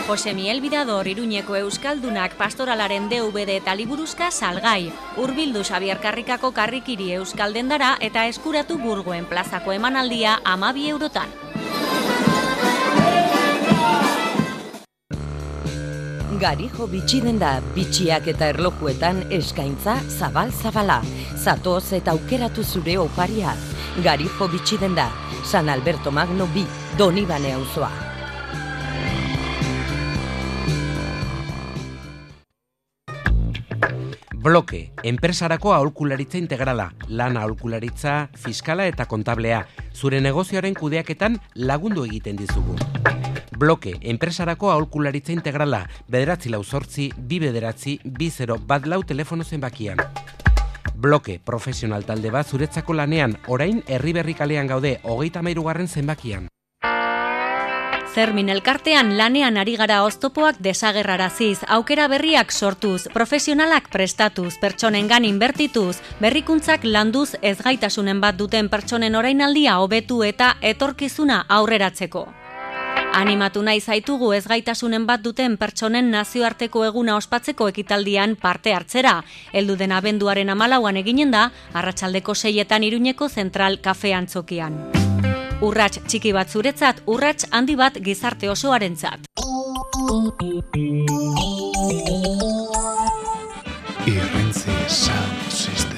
Jose Miel Bidador Iruñeko Euskaldunak pastoralaren DVD eta liburuzka salgai. Hurbildu Xabier Karrikako karrikiri euskaldendara eta eskuratu Burgoen plazako emanaldia 12 eurotan. Garijo bitxiden da, bitxiak eta erlojuetan eskaintza zabal-zabala. Zatoz eta aukeratu zure oparia. Garijo bitxiden da, San Alberto Magno 2, Donibane auzoa. Bloke, enpresarako aholkularitza integrala, lana aholkularitza, fiskala eta kontablea. Zure negozioaren kudeaketan lagundu egiten dizugu. Bloke, enpresarako aholkularitza integrala, 948-2 telefono zenbakian. Bloke, profesional talde bat zuretzako lanean, orain Herriberri kalean gaude, 33. zenbakian. Zermin elkartean lanean ari gara oztopoak desagerraraziz, aukera berriak sortuz, profesionalak prestatuz, pertsonengan inbertituz, berrikuntzak landuz ezgaitasunen bat duten pertsonen orainaldia hobetu eta etorkizuna aurreratzeko. Animatu nahi zaitugu ezgaitasunen bat duten pertsonen nazioarteko eguna ospatzeko ekitaldian parte hartzera. Heldu den abenduaren 14an eginen da, arratsaldeko 6etan Iruñeko Zentral Kafe Antzokian. Urrats txiki bat zuretzat, urrats handi bat gizarte osoarentzat. Irrintzi Sound System.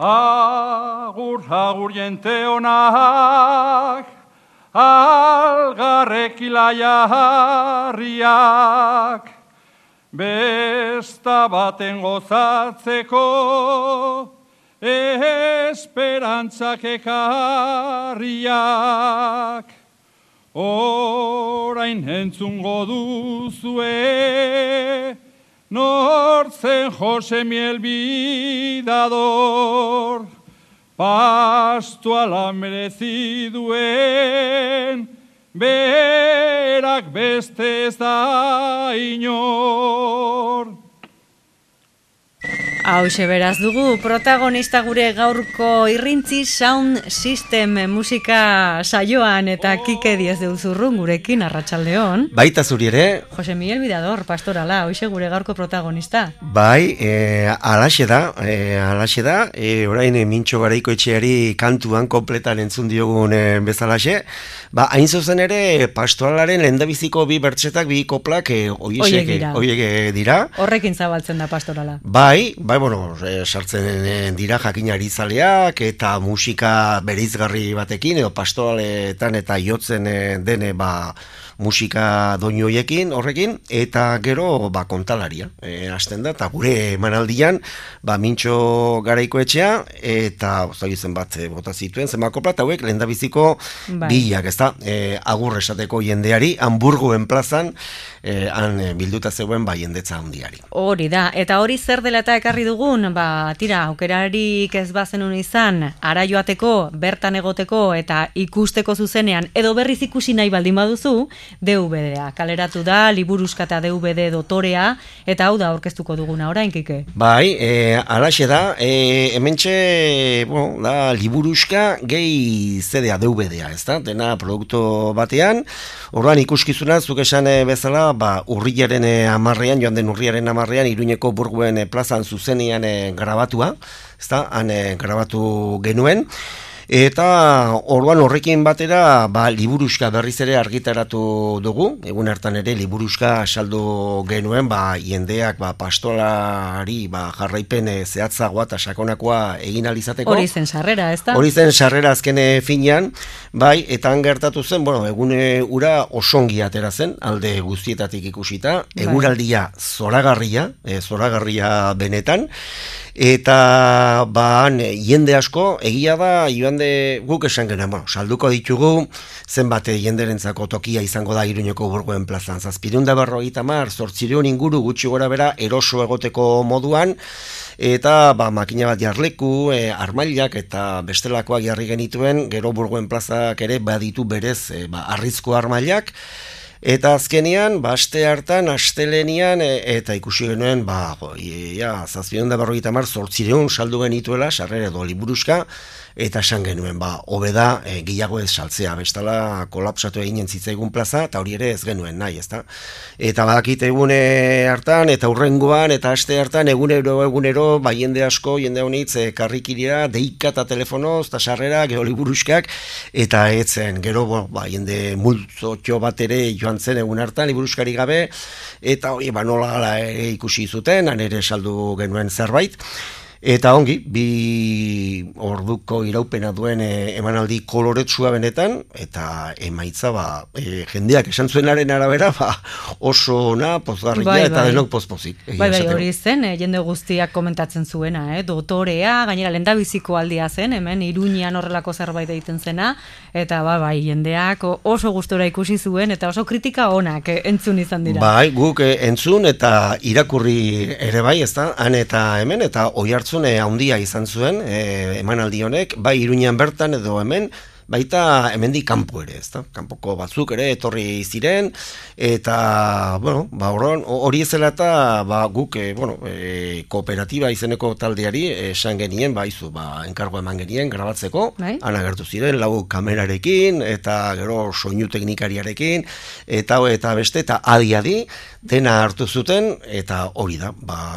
Agur, agur jente honak, algarrek ilaia harriak, besta baten gozatzeko, esperantzak ekarriak. Orain entzungo duzue, nortzen Jose Miel Bidador, pastoala merezi duen, berak beste ez da inor. Hauxe beraz dugu, protagonista gure gaurko Irrintzi Sound System musika saioan eta Kike Diez de Uzurrun gurekin arratsaldeon. Baita zuri ere. Jose Miel Bidador, pastorala, hoxe gure gaurko protagonista. Bai, alaxe da, orain Mintxo Garaikoetxeari kantuan kompletan entzun diogun bezalaxe. Ba, hain zuzen ere, pastoralaren lehendabiziko 2 bertsetak, 2 koplak, oiek dira. Horrekin zabaltzen da pastorala. Bai, bueno, sartzen dira jakinari zaleak eta musika bereizgarri batekin, edo pastoraletan eta jotzen dene musika doinu horrekin, eta gero kontalaria hasten da, eta gure emanaldian Mintxo Garaikoetxea, eta zen bat bota zituen, zenbako plat hauek lehendabiziko bilak, ezta, agur esateko jendeari, Hamburgoen plazan, han bilduta zeuen jendetza handiari. Hori da, eta hori zer dela eta ekarri dugun, tira, aukerarik ez bazenun izan, ara joateko, bertan egoteko eta ikusteko zuzenean, edo berriz ikusi nahi baldin baduzu, DVD-a, kaleratu da, liburuzka eta DVD dotorea, eta hau da aurkeztuko duguna orain, Kike. Bai, alaxe da, hementxe, da, liburuzka gehi CD-a, DVD-a, ez da, dena produktu batean, orduan ikuskizuna, zuk esan bezala, urriaren 10, joan den urriaren 10, Iruñeko Burgoen plazan zuzenean grabatua, ez da, han grabatu genuen, eta orduan horrekin batera liburuzka berriz ere argitaratu dugu, egun hartan ere liburuzka saldu genuen, jendeak pastolari jarraipen zehatzagoa eta sakonakoa egin alizateko. Hori zen sarrera, ez da? Hori zen sarrera azken finean, eta han gertatu zen, egune ura osongi atera zen, alde guztietatik ikusita, eguraldia zoragarria benetan, eta jende asko, egia da, joan guk esan genuen, salduko ditugu, zenbat jenderentzako tokia izango da Iruñeko Burgoen plazan. 750, 800 inguru gutxi gora bera eroso egoteko moduan, eta makina bat jarleku, armailak eta bestelakoak jarri genituen, gero Burgoen plazak ere baditu berez arrizko armailak, eta azkenean, aste hartan, astelenian, eta ikusi genuen, 750, 800 saldu genituela, sarrera edo liburuska, eta esan genuen, hobeda gehiago ez saltzea, bestala kolapsatu eginen zitzaigun plaza, eta hori ere ez genuen nahi, ezta? Eta badakit egune hartan, eta hurrengoan, eta aste hartan, egunero, jende asko, jende honitz, karrikirira, deika eta telefonoz, eta sarrera, gero liburuskak, eta etzen, gero, jende multzotxo bat ere joan zen egun hartan, liburuskari gabe, eta hori, nola gala ikusi zuten, han ere saldu genuen zerbait. Eta ongi, 2 orduko iraupena duen emanaldi koloretsua benetan, eta emaitza jendeak esan zuenaren arabera oso ona, pozgarria eta denok pozpozik. Hori zen, jende guztiak komentatzen zuena, dotorea, gainera lehendabiziko aldia zen, hemen Iruñean horrelako zerbait egiten zena, eta jendeak oso gustora ikusi zuen, eta oso kritika onak entzun izan dira. Guk entzun eta irakurri ere bai, ezta, han eta hemen, eta oi hartzun handia izan zuen emanaldi honek, bai Iruñean bertan edo hemen, baita hemendik kanpo ere, ezta? Kanpoko batzuk ere etorri ziren, eta, hori ezela eta guk, kooperatiba izeneko taldeari esan genien, enkargo eman genien grabatzeko, han agertu ziren, 4 kamerarekin, eta gero soinu teknikariarekin, eta beste, eta adi, dena hartu zuten, eta hori da,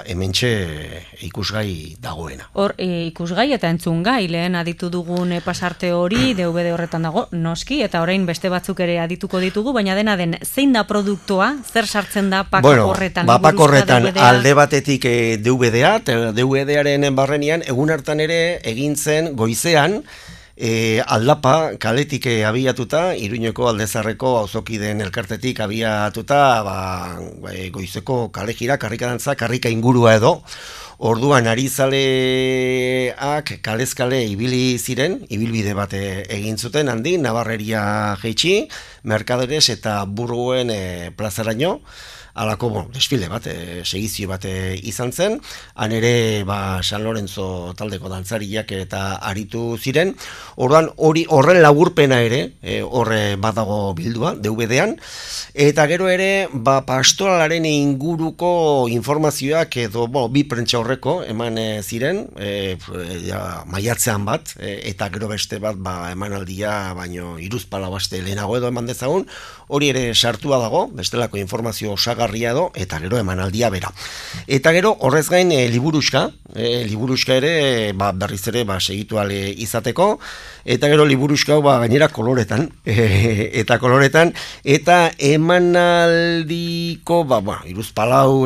hementxe ikusgai dagoena. Hor, ikusgai eta entzungai, lehen aditu dugun pasarte hori, DVD horretan dago, noski, eta orain beste batzuk ere adituko ditugu, baina dena den, zein da produktua, zer sartzen da pak horretan? Pak horretan alde batetik DVD-a, DVD-aren barrenian, egun hartan ere egin zen goizean, aldapa kaletik abiatuta, Iruñeko Aldezarreko auzokideen elkartetik abiatuta, goizeko kalejira, karrikadantza, karrika ingurua edo, orduan arizaleak kalezkale ibili ziren, ibilbide bat egin zuten handi, Nabarreria jeitsi, Mercaderes eta Burgoen plazaraino, alako desfile bat, segizio bat izan zen, han ere San Lorenzo taldeko dantzariak eta aritu ziren, orduan horren laburpena ere, horre badago bildua, DVD-an, eta gero ere, pastoralaren inguruko informazioak edo, bi prentsa horreko eman ziren, maiatzean bat, eta gero beste bat, emanaldia, baino iruzpala baste lehenago edo eman dezagun, hori ere sartua dago, bestelako informazio osagarria edo, eta gero emanaldia bera. Eta gero, horrez gain, liburuska ere, berriz ere, segitu ale izateko, eta gero liburuska gainera koloretan, eta emanaldiko, iruzpalau,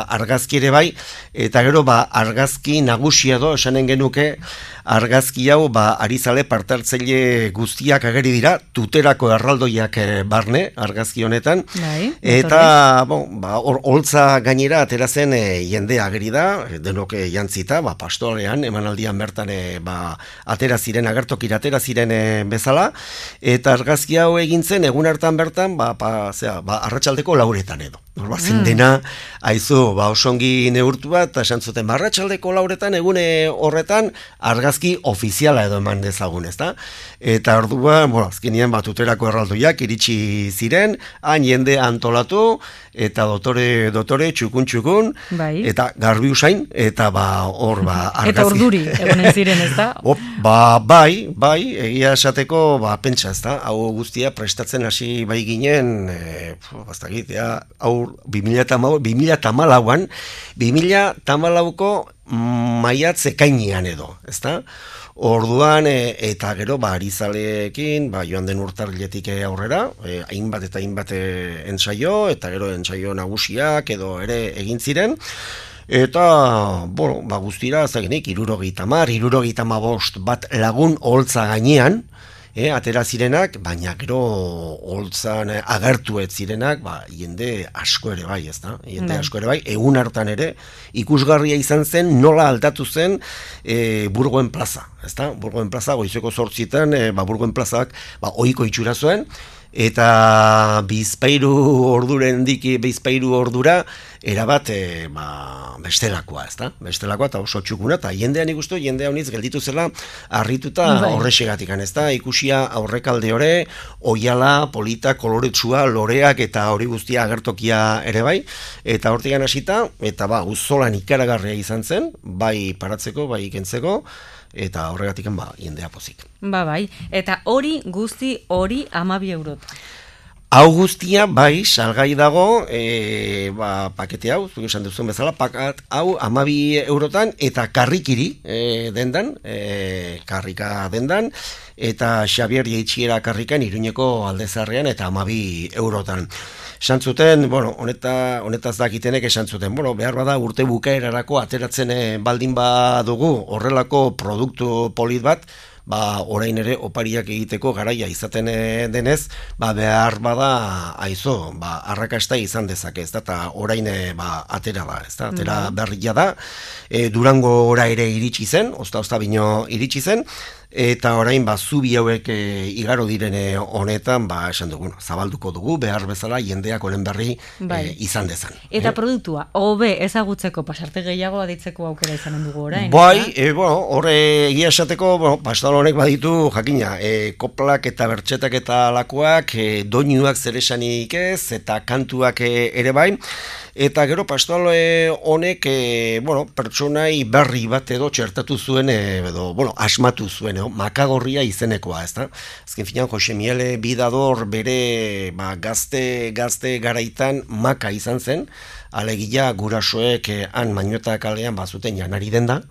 argazki ere bai, eta gero, argazki nagusia edo, esanen genuke, argazki hau, arizale partartzaile guztiak ageri dira, tuterako erraldoiak barne, argazki honetan, eta, holtza gainera, atera zen jende ageri da, denok jantzita, pastorean, emanaldian bertan, atera ziren, agertokira atera ziren bezala, eta argazki hau egintzen, egun hartan bertan, arratsaldeko 4 edo. Zen dena, haizu, osongi neurtu bat, eta esan zuten, arratsaldeko 4 egune horretan, argazki ofiziala edo eman dezagun, ezta? Eta orduan, azkenean tuterako erraldoiak iritsi ziren, han jende antolatu, eta dotore, txukun, eta garbi usain, eta hor, argazki. Eta urduri, egonen ziren, ezta? Bai, egia esateko, pentsa, ezta? Hau guztia prestatzen hasi bai ginen, hau 2014an, 2014ko maiatz ekainean edo, ezta? Orduan, eta gero, arizaleekin, joan den urtarriletik aurrera, hainbat eta hainbat entsaio, eta gero entsaio nagusiak edo ere egin ziren, eta, guztira, zagenik, 75 bat lagun holtza gainean, atera zirenak, baina gero holtzan agertu ez zirenak, jende asko ere bai, ezta? Jende asko ere bai, egun hartan ere, ikusgarria izan zen, nola aldatu zen Burgoen plaza. ezta? Burgoen plaza, goizeko 8etan, Burgoen plazak, ohiko itxura zuen, eta bizpairu ordura, erabat, bestelakoa, ezta? Bestelakoa, eta oso txukuna, eta jendean ikustu, jendea honiz gelditu zela, harrituta horrexegatik, ezta? Ikusia aurrekalde hore, oiala, polita, koloretsua, loreak, eta hori guztia agertokia ere bai, eta hortigan hasita, eta uzolan ikaragarria izan zen, bai paratzeko, bai ikentzeko, eta horregatik jendea pozik. Bai, eta hori guzti hori 12 eurot. Hau guztia, bai, salgai dago, pakete hau, zuk esan duzuen bezala, pakat hau 12 eurotan, eta karrikiri dendan, karrika dendan, eta Xabier Jeitxiera karrikan Iruñeko Aldezarrean, eta 12 eurotan. Esan zuten, honetaz dakitenek esan zuten, behar bada urte bukaerarako ateratzen baldin badugu horrelako produktu polit bat, orain ere opariak egiteko garaia izaten denez, behar bada arrakasta izan dezake, ez da, eta orain atera da, ez da, atera berria da, Durango ora ere iritsi zen, ozta bino iritsi zen, eta orain zubi hauek igaro direne honetan, esan dugu, zabalduko dugu, behar bezala jendeak honen berri izan dezan. Eta produktua, hobe ezagutzeko pasarte gehiago aditzeko aukera izanen dugu orain? Horre egia esateko, pastor honek baditu, jakina, koplak eta bertxetak eta lakoak, doinuak zeresanik ez, eta kantuak ere bai, eta gero pastoral honek pertsonai berri bat edo txertatu zuen, asmatu zuen, makagorria izenekoa, ez da? Azken finean, Jose Miele Bidador bere gazte garaitan maka izan zen, alegia gurasoek han Mañota kalean bazuten janari denda,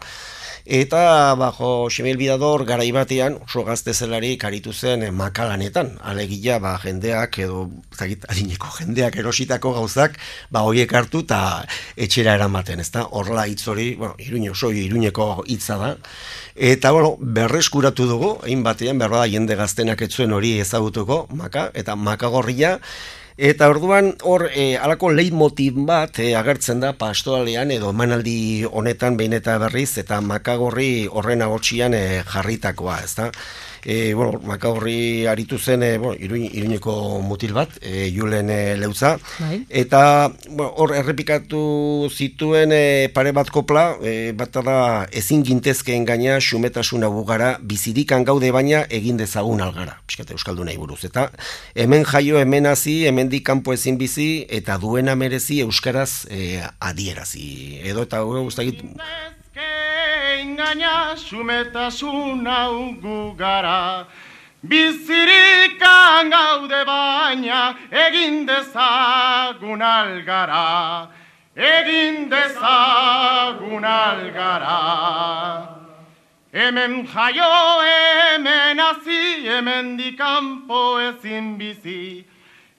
eta Jose Miele Bidador garai batean oso gazte zelarik aritu zen makalanetan, alegia jendeak edo adineko jendeak erositako gauzak horiek hartu eta etxera eramaten, ez da? Horrela hitz hori, Iruñeko hitza da, eta berreskuratu dugu, egin batean behar da jende gaztenak etzuen hori ezagutuko, eta makagorria. Eta orduan hor alako leitmotiv bat agertzen da pastoralean edo emanaldi honetan behin eta berriz, eta makagorri horren agotxian jarritakoa, ez da? Makagorri aritu zen Iruñeko mutil bat, Julen Leutza, eta hor errepikatu zituen pare bat kopla, bat da ezin gintezkeen gaina xumetasuna bugara, bizirikan gaude baina egin dezagun algara, piskate euskaldunei buruz, eta hemen jaio, hemen hazi, hemendik kanpo ezin bizi, eta duena merezi euskaraz adierazi, edo eta guztakit... Engaña xumetasun hau gu gara, bizirikan gaude baina egin dezagun algara, egin dezagun algara. Hemen jaio, hemen hazi, hemendik kanpo ezin bizi,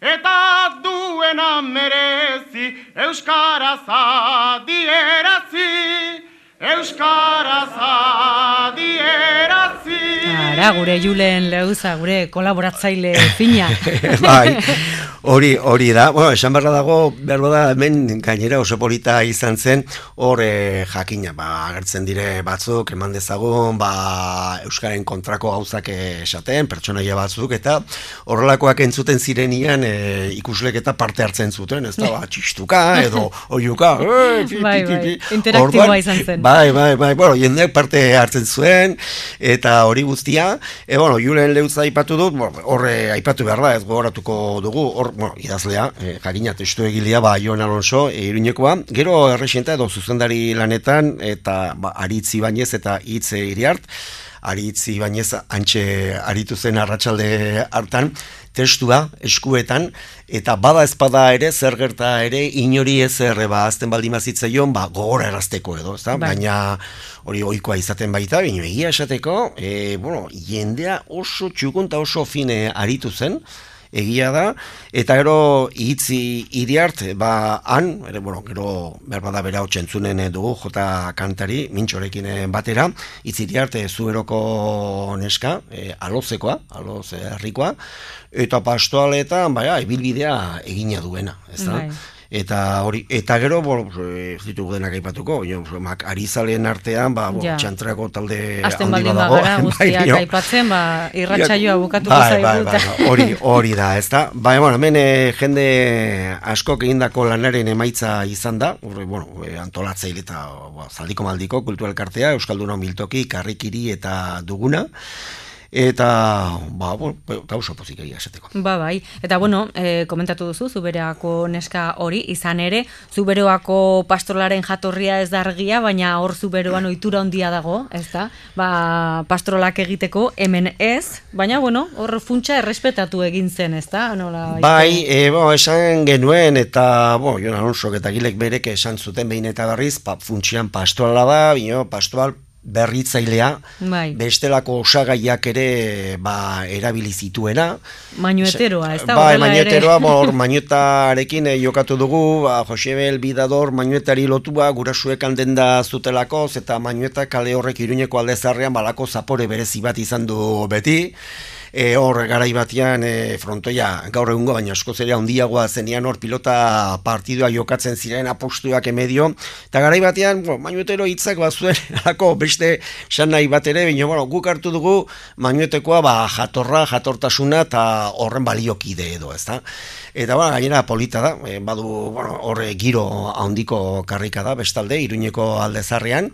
eta duena merezi euskaraz adierazi. Euskaraz adierazi. Ara, gure Julen Leuza, gure kolaboratzaile fina. Bai, hori da. Esan barra dago, berroda hemen gainera oso polita izan zen, hor jakina, agertzen dire batzuk, eman dezagun, euskaren kontrako gauzak esaten, pertsonaia batzuk, eta horrelakoak entzuten zirenian ikuslek eta parte hartzen zuten, ez da, txistuka, edo oiuka, interaktiboa izan zen. Bai, jendeak parte hartzen zuen, eta hori guztia, Julen Leutza aipatu dut, horre aipatu behar da, ez gogoratuko dugu, idazlea, jakina testu egilea, Jon Alonso, Iruñekoa, gero errexenta edo zuzendari lanetan, eta Aritz Ibanez eta Itz Iriart, Aritz Ibanez antxe aritu zen arratsalde hartan, testua eskuetan, eta bada espada ere, zer gerta ere, inori ezer azten baldin bazitzaion, gogora erazteko edo, ezta? Baina hori ohikoa izaten baita, baina egia esateko, jendea oso txukunta oso fine aritu zen, egia da, eta gero Itzi Iriart, han, gero berbada bera hotxentzunen dugu, jota kantari, mintxorekin batera, Itzi Iriart zueroko neska, alozekoa, herrikoa, eta pastoaletan, ibilbidea egina duena, ez da? Eta hori, eta gero, ez ditugu denak aipatuko, arizaleen artean, txantrako talde Azten handi baldin badago. bagara guztiak aipatzen, irratsaioa bukatuko zaigu. Hori da, ez da? Hemen jende askok egindako lanaren emaitza izan da, antolatzaile eta zaldiko maldiko kulturalkartea, Euskalduna Miltoki, Karrikiri eta Duguna, eta, gauza pozik egia esateko. Bai, eta komentatu duzu, Zuberoako neska hori, izan ere, Zuberoako pastoralaren jatorria ez da argia, baina hor Zuberoan ohitura handia dago, ez da? Pastoralak egiteko, hemen ez, baina, hor funtsa errespetatu egin zen, ez da? Bai, esan genuen, eta, Jon Alonsok eta Gilek berek esan zuten behin eta berriz, funtsian pastorala da, pastoral berritzailea, bestelako osagaiak ere erabili zituena. Manueteroa, ez da? Manueteroa, manuetarekin jokatu dugu, Josebel Bidador manuetari lotua gurasuek handen da zutelakoz, eta manuetak kale horrek Iruñeko aldezarrean balako zapore berezi bat izan du beti. Hor garai batean frontoia gaur egungo baina askoz ere handiagoa zenean hor pilota partidua jokatzen ziren apostuak emedio, eta garai batean manuetero hitzak bazuen alako beste esan nahi bat ere, baina guk hartu dugu manuetekoa jatortasuna eta horren baliokide edo, ezta? Eta gainera polita da, badu hor giro handiko karrika da bestalde Iruñeko aldezarrean.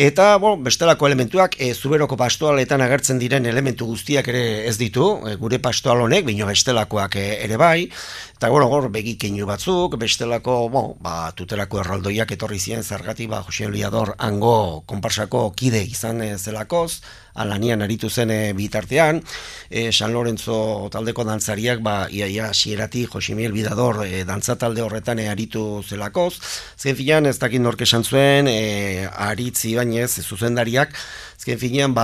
Eta, bestelako elementuak, Zuberoko pastoaletan agertzen diren elementu guztiak ere ez ditu, gure pastoal honek, baina bestelakoak ere bai, eta gor begikeinu batzuk, bestelako, tutelako erraldoiak etorri ziren zergatik, Jose Liador hango konparsako kide izan zelakoz, alanian aritu zen bitartean, San Lorenzo taldeko dantzariak, iaia sieratik Jose Miguel Bidador dantza talde horretan aritu zelakoz, zen filan ez dakit nork esan zuen, aritzi bainez, zuzendariak, azken finean,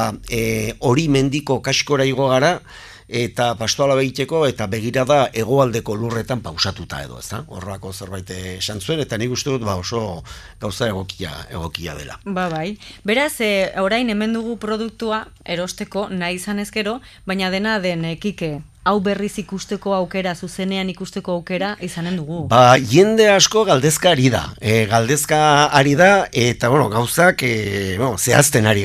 hori mendiko kaskora igo gara, eta pastoala behiteko, eta begirada hegoaldeko lurretan pausatuta edo, ez da? Horrako zerbait esan zuen, eta nik uste dut oso gauza egokia dela. Bai. Beraz, orain hemen dugu produktua erosteko nahi izan ezkero, baina dena den Kike, hau berriz ikusteko aukera, zuzenean ikusteko aukera izanen dugu. Jende asko galdezka ari da. Eta gauzak zehazten ari gara.